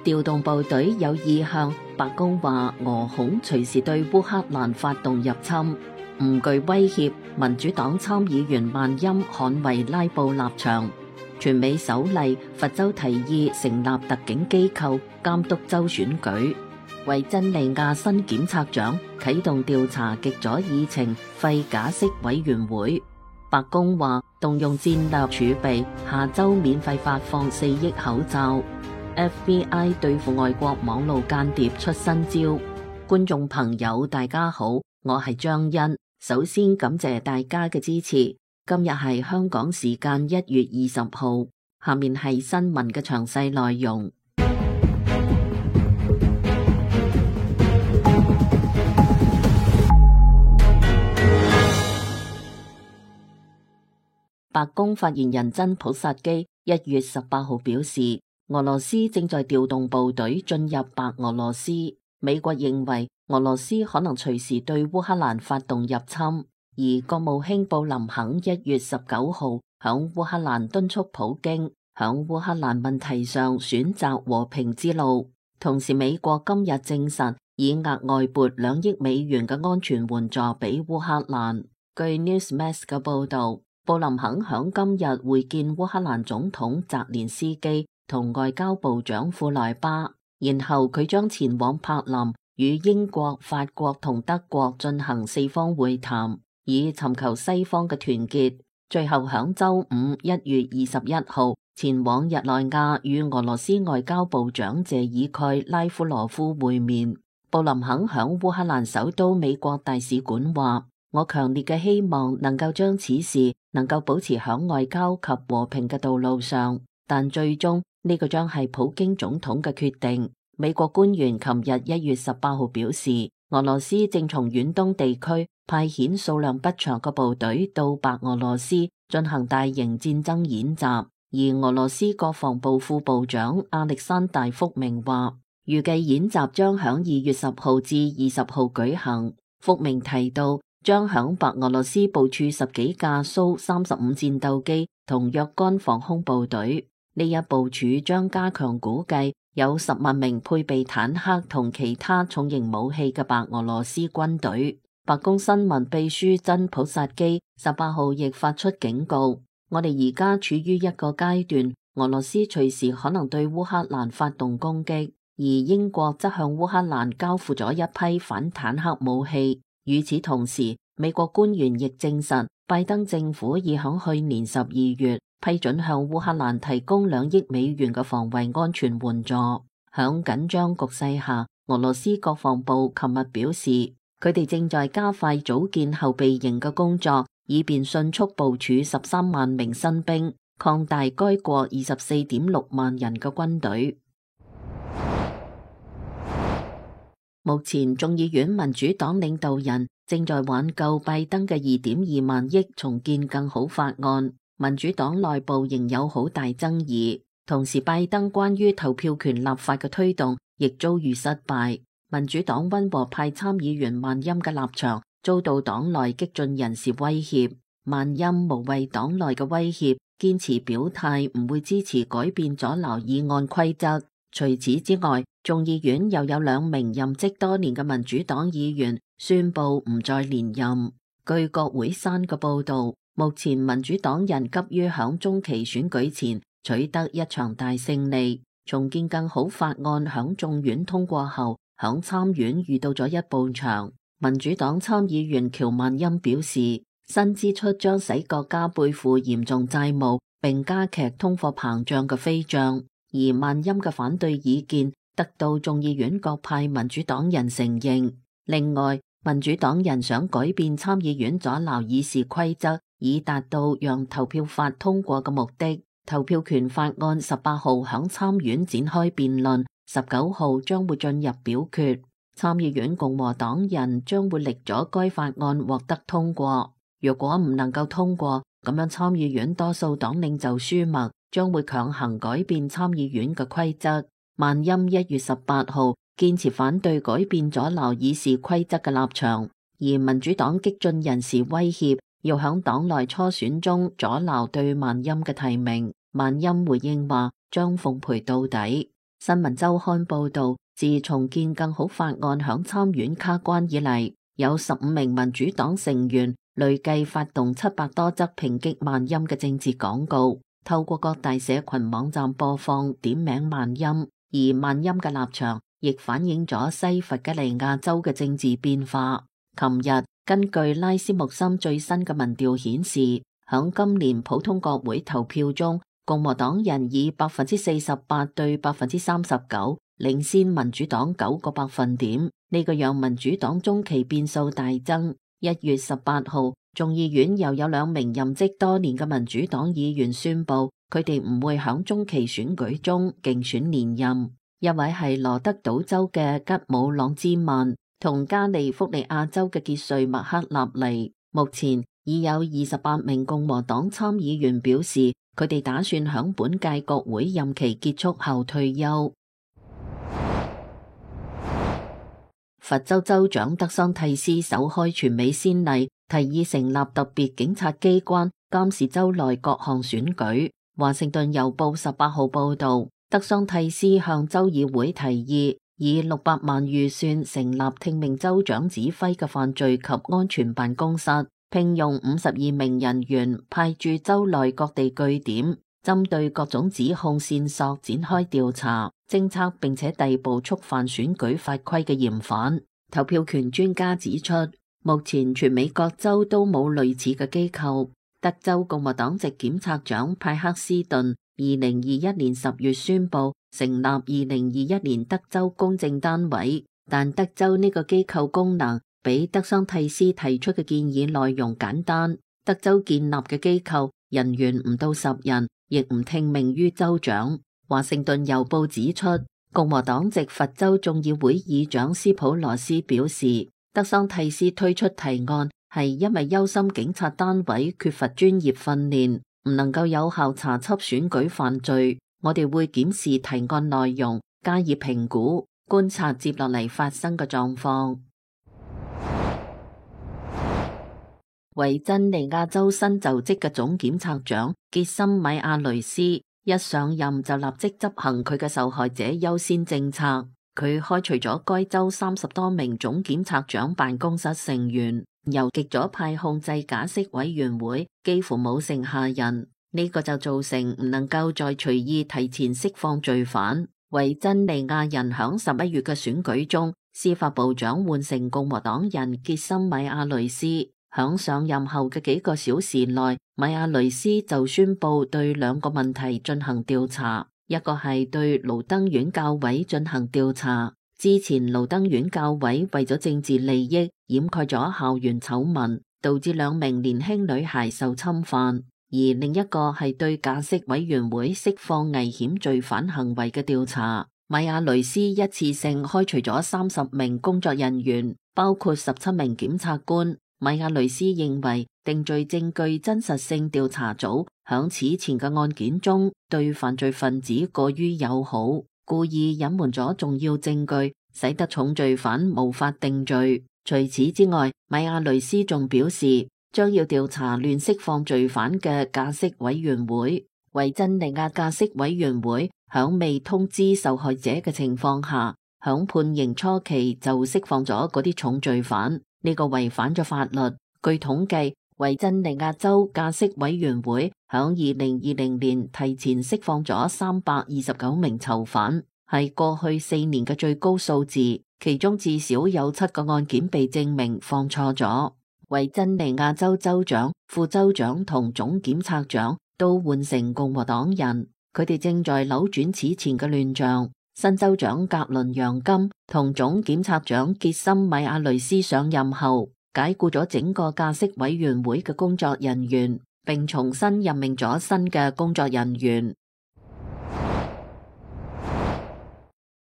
調動部隊有意向，白宮話俄恐隨時對烏克蘭發動入侵，唔具威脅。民主黨參議員萬欽捍衛拉布立場。全美首例，佛州提議成立特警機構監督州選舉。維珍尼亞新檢察長啟動調查極左議程廢假釋委員會。白宮話動用戰略儲備，下周免費發放4億口罩。FBI 對付外國網路間諜出新招。觀眾朋友大家好，我係張欣，首先感謝大家嘅支持。今日係香港時間1月20號，下面係新聞嘅詳細內容。白宮發言人真普薩基1月18號表示，俄羅斯正在調動部隊進入白俄羅斯。美國認為俄羅斯可能隨時對烏克蘭發動入侵，而國務卿布林肯1月19號響烏克蘭敦促普京響烏克蘭問題上選擇和平之路。同時，美國今日證實已額外撥2億美元嘅安全援助俾烏克蘭。據 Newsmax 嘅報道，布林肯響今日會見烏克蘭總統澤連斯基同外交部長庫萊巴，然後佢將前往柏林與英國、法國同德國進行4方會談，以尋求西方嘅團結。最後響週五1月21號前往日內瓦與俄羅斯外交部長謝爾蓋拉夫羅夫會面。布林肯響烏克蘭首都美國大使館話：我強烈嘅希望能夠將此事能夠保持響外交及和平嘅道路上，但最終呢個將係普京總統嘅決定。美國官員琴日1月18號表示，俄羅斯正從遠東地區派遣數量不詳嘅部隊到白俄羅斯進行大型戰爭演習，而俄羅斯國防部副部長亞歷山大福明話，預計演習將響2月10號至20號舉行。福明提到，將響白俄羅斯部署10幾架蘇35戰鬥機同若干防空部隊，呢一部署將加強估計有10萬名配備坦克同其他重型武器嘅白俄羅斯軍隊。白宮新聞秘書真普薩基18號亦發出警告，我哋而家處於一個階段，俄羅斯隨時可能對烏克蘭發動攻擊，而英國則向烏克蘭交付咗一批反坦克武器。與此同時，美國官員亦證實，拜登政府已響去年12月批准向烏克蘭提供2億美元嘅防衛安全援助。響緊張局勢下，俄羅斯國防部琴日表示，佢哋正在加快組建後備營嘅工作，以便迅速部署13萬名新兵，擴大該國24.6萬人嘅軍隊。目前眾議院民主黨領導人正在挽救拜登嘅2.2萬億重建更好法案，民主黨內部仍有好大爭議。同時，拜登關於投票權立法嘅推動亦遭遇失敗。民主黨溫和派參議員萬欽嘅立場遭到黨內激進人士威脅，萬欽無畏黨內嘅威脅，堅持表態唔會支持改變阻撓議案規則。除此之外，眾議院又有2名任職多年嘅民主黨議員宣布唔再連任。據國會山嘅報道，目前民主黨人急於響中期選舉前取得一場大勝利。重建更好法案響眾院通過後，響參院遇到咗一步牆。民主黨參議員喬萬欽表示，新支出將使國家背負嚴重債務，並加劇通貨膨脹嘅飛漲。而萬欽嘅反對意見得到眾議院各派民主黨人承認。另外，民主黨人想改變參議院阻撓議事規則，以達到讓投票法通過嘅目的。投票權法案18號響參院展開辯論，19號將會進入表決。參議院共和黨人將會力阻該法案獲得通過。若果唔能夠通過，咁樣參議院多數黨領袖舒默將會強行改變參議院嘅規則。萬欽1月18號堅持反對改變阻撓議事規則嘅立場，而民主黨激進人士威脅要響黨內初選中阻撓對萬欽嘅提名。萬欽回應話將奉陪到底。新聞週刊報道，自重建更好法案響參院卡關以嚟，有15名民主黨成員累計發動700多則抨擊萬音嘅政治廣告，透過各大社群網站播放點名萬音，而萬音嘅立場亦反映咗西弗吉尼亞州嘅政治變化。琴日根據拉斯穆森最新嘅民調顯示，響今年普通國會投票中，共和黨人以48%對39%領先民主黨9個百分點，呢個讓民主黨中期變數大增。1月18號，眾議院又有2名任職多年嘅民主黨議員宣布，佢哋唔會響中期選舉中競選連任。一位係羅德島州嘅吉姆朗茲曼，同加利福尼亞州嘅傑瑞麥克納尼。目前已有28名共和黨參議員表示，佢哋打算響本屆國會任期結束後退休。佛州州長德桑蒂斯首開全美先例，提議成立特別警察機關監視州內各項選舉。華盛頓郵報18號報道，德桑蒂斯向州議會提議，以600萬預算成立聽命州長指揮嘅犯罪及安全辦公室，聘用52名人員，派駐州內各地據點，針對各種指控線索展開調查、偵測並且逮捕觸犯選舉法規嘅嫌犯。投票權專家指出，目前全美各州都冇類似嘅機構。德州共和黨籍檢察長派克斯頓2021年10月宣布成立2021年德州公正單位，但德州呢個機構功能比德桑蒂斯提出嘅建議內容簡單。德州建立嘅機構人員唔到10人，亦唔聽命於州長。華盛頓郵報指出，共和黨籍佛州眾議會議長斯普羅斯表示，德桑蒂斯推出提案係因為憂心警察單位缺乏專業訓練，唔能夠有效查緝選舉犯罪。我哋會檢視提案內容，加以評估，觀察接落嚟發生嘅狀況。維珍尼亞州新就職嘅總檢察長傑森米亞雷斯一上任就立即執行佢嘅受害者優先政策。佢開除咗該州30多名總檢察長辦公室成員，由極左派控制假釋委員會幾乎冇剩下人，呢個就造成唔能夠再隨意提前釋放罪犯。維珍尼亞人響11月嘅選舉中，司法部長換成共和黨人傑森米亞雷斯。響上任後嘅幾個小時內，米亞雷斯就宣布對2個問題進行調查，一個係對盧登縣教委進行調查。之前盧登縣教委為咗政治利益掩蓋咗校園醜聞，導致2名年輕女孩受侵犯。而另一個係對假釋委員會釋放危險罪犯行為嘅調查。米亞雷斯一次性開除咗30名工作人員，包括17名檢察官。米亞雷斯認為定罪證據真實性調查組響此前嘅案件中對犯罪分子過於友好，故意隱瞞咗重要證據，使得重罪犯無法定罪。除此之外，米亞雷斯仲表示將要調查亂釋放罪犯嘅假釋委員會。維珍尼亞假釋委員會響未通知受害者嘅情況下，響判刑初期就釋放咗嗰啲重罪犯。呢個違反咗法律。據統計，維珍尼亞州假釋委員會響2020年提前釋放咗329名囚犯，係過去4年嘅最高數字。其中至少有7個案件被證明放錯咗。維珍尼亞州州長、副州長同總檢察長都換成共和黨人，佢哋正在扭轉此前嘅亂象。新州長格倫楊金同總檢察長傑森米亞雷斯上任後，解僱咗整個假釋委員會嘅工作人員，並重新任命咗新嘅工作人員。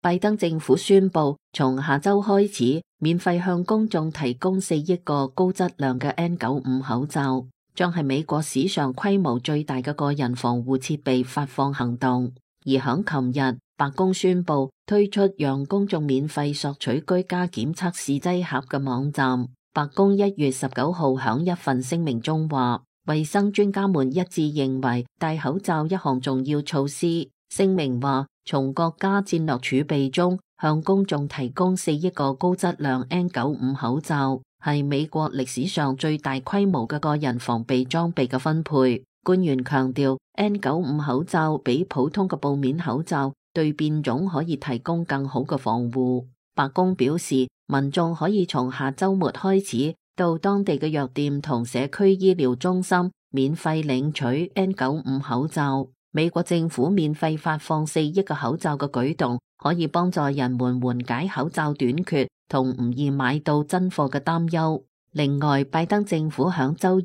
拜登政府宣布，從下周開始，免費向公眾提供4億個高質量嘅 N95 口罩，將係美國史上規模最大嘅個人防護設備發放行動。而響琴日，白宮宣布推出讓公眾免費索取居家檢測試劑盒嘅網站。白宮1月19號響一份聲明中話，衛生專家們一致認為戴口罩一項重要措施，聲明話，從國家戰略儲備中向公眾提供4億個高質量 N95 口罩，係美國歷史上最大規模嘅個人防備裝備嘅分配。官員強調 ，N95 口罩比普通嘅布面口罩對變種可以提供更好嘅防護。白宮表示，民眾可以從下週末開始到當地嘅藥店同社區醫療中心免費領取 N95 口罩。美國政府免費發放4億個口罩嘅舉動，可以幫助人們緩解口罩短缺同唔易買到真貨嘅擔憂。另外，拜登政府響週二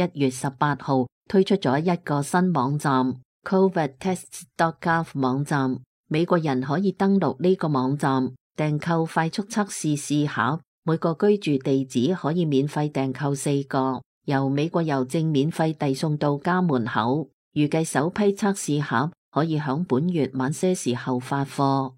1月18號推出咗一個新網站 covidtests.gov 網站，美國人可以登錄呢個網站訂購快速測試試盒，每個居住地址可以免費訂購4個，由美國郵政免費遞送到家門口。預計首批測試盒可以響本月晚些時候發貨。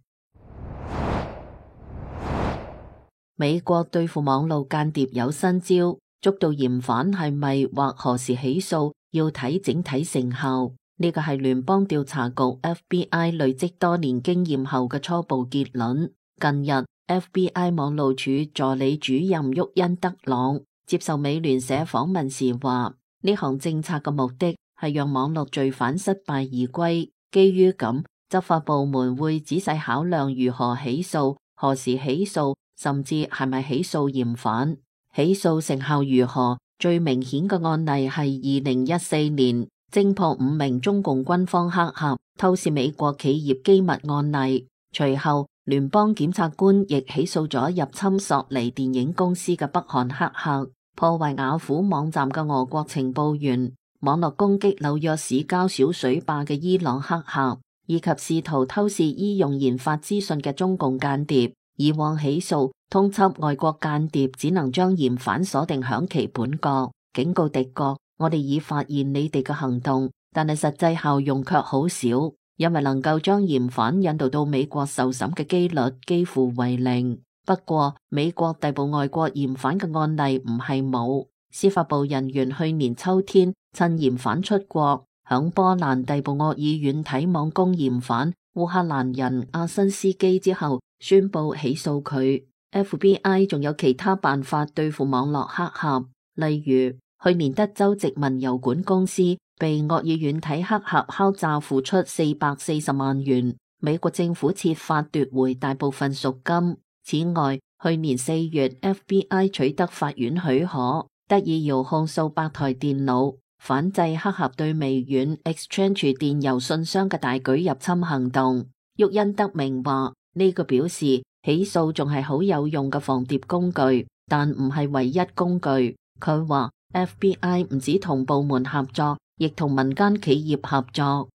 美國對付網絡間諜有新招，捉到嫌犯係咪或何時起訴，要睇整體成效。呢個係聯邦調查局 FBI 累積多年經驗後嘅初步結論。近日 FBI 網路處助理主任沃恩德朗接受美聯社訪問時話，呢項政策嘅目的係讓網絡罪犯失敗而歸，基於咁，執法部門會仔細考量如何起訴、何時起訴，甚至係咪起訴嫌犯。起訴成效如何？最明顯嘅案例係2014年偵破5名中共軍方黑客偷竊美國企業機密案例。隨後，聯邦檢察官亦起訴咗入侵索尼電影公司嘅北韓黑客、破壞雅虎網站嘅俄國情報員、網絡攻擊紐約市郊小水壩嘅伊朗黑客，以及試圖偷竊醫用研發資訊嘅中共間諜。以往起訴通緝外國間諜只能將嫌犯鎖定響其本國，警告敵國，我哋已發現你哋嘅行動，但係實際效用卻好少，因為能夠將嫌犯引渡到美國受審嘅幾率幾乎為零。不過，美國逮捕外國嫌犯嘅案例唔係冇，司法部人員去年秋天趁嫌犯出國，響波蘭逮捕惡意軟體網攻嫌犯烏克蘭人阿申斯基之後，宣布起訴佢。FBI 仲有其他辦法對付網絡黑客，例如去年德州殖民郵管公司被惡意軟體黑客敲詐付出440萬元，美國政府設法奪回大部分贖金。此外，去年4月 FBI 取得法院許可，得以遙控數百台電腦，反制黑客對微軟 Exchange 電郵信箱嘅大舉入侵行動。沃恩德明話，呢個表示起訴仲係好有用嘅防諜工具，但唔係唯一工具。佢話 FBI 唔止同部門合作，亦同民間企業合作。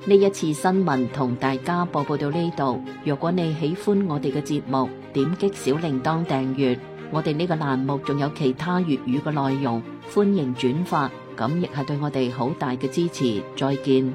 呢一次新聞同大家播報到呢度。如果你喜歡我哋嘅節目，點擊小鈴鐺訂閱。我哋呢個欄目仲有其他粵語嘅內容，歡迎轉發，咁亦係對我哋好大嘅支持。再見。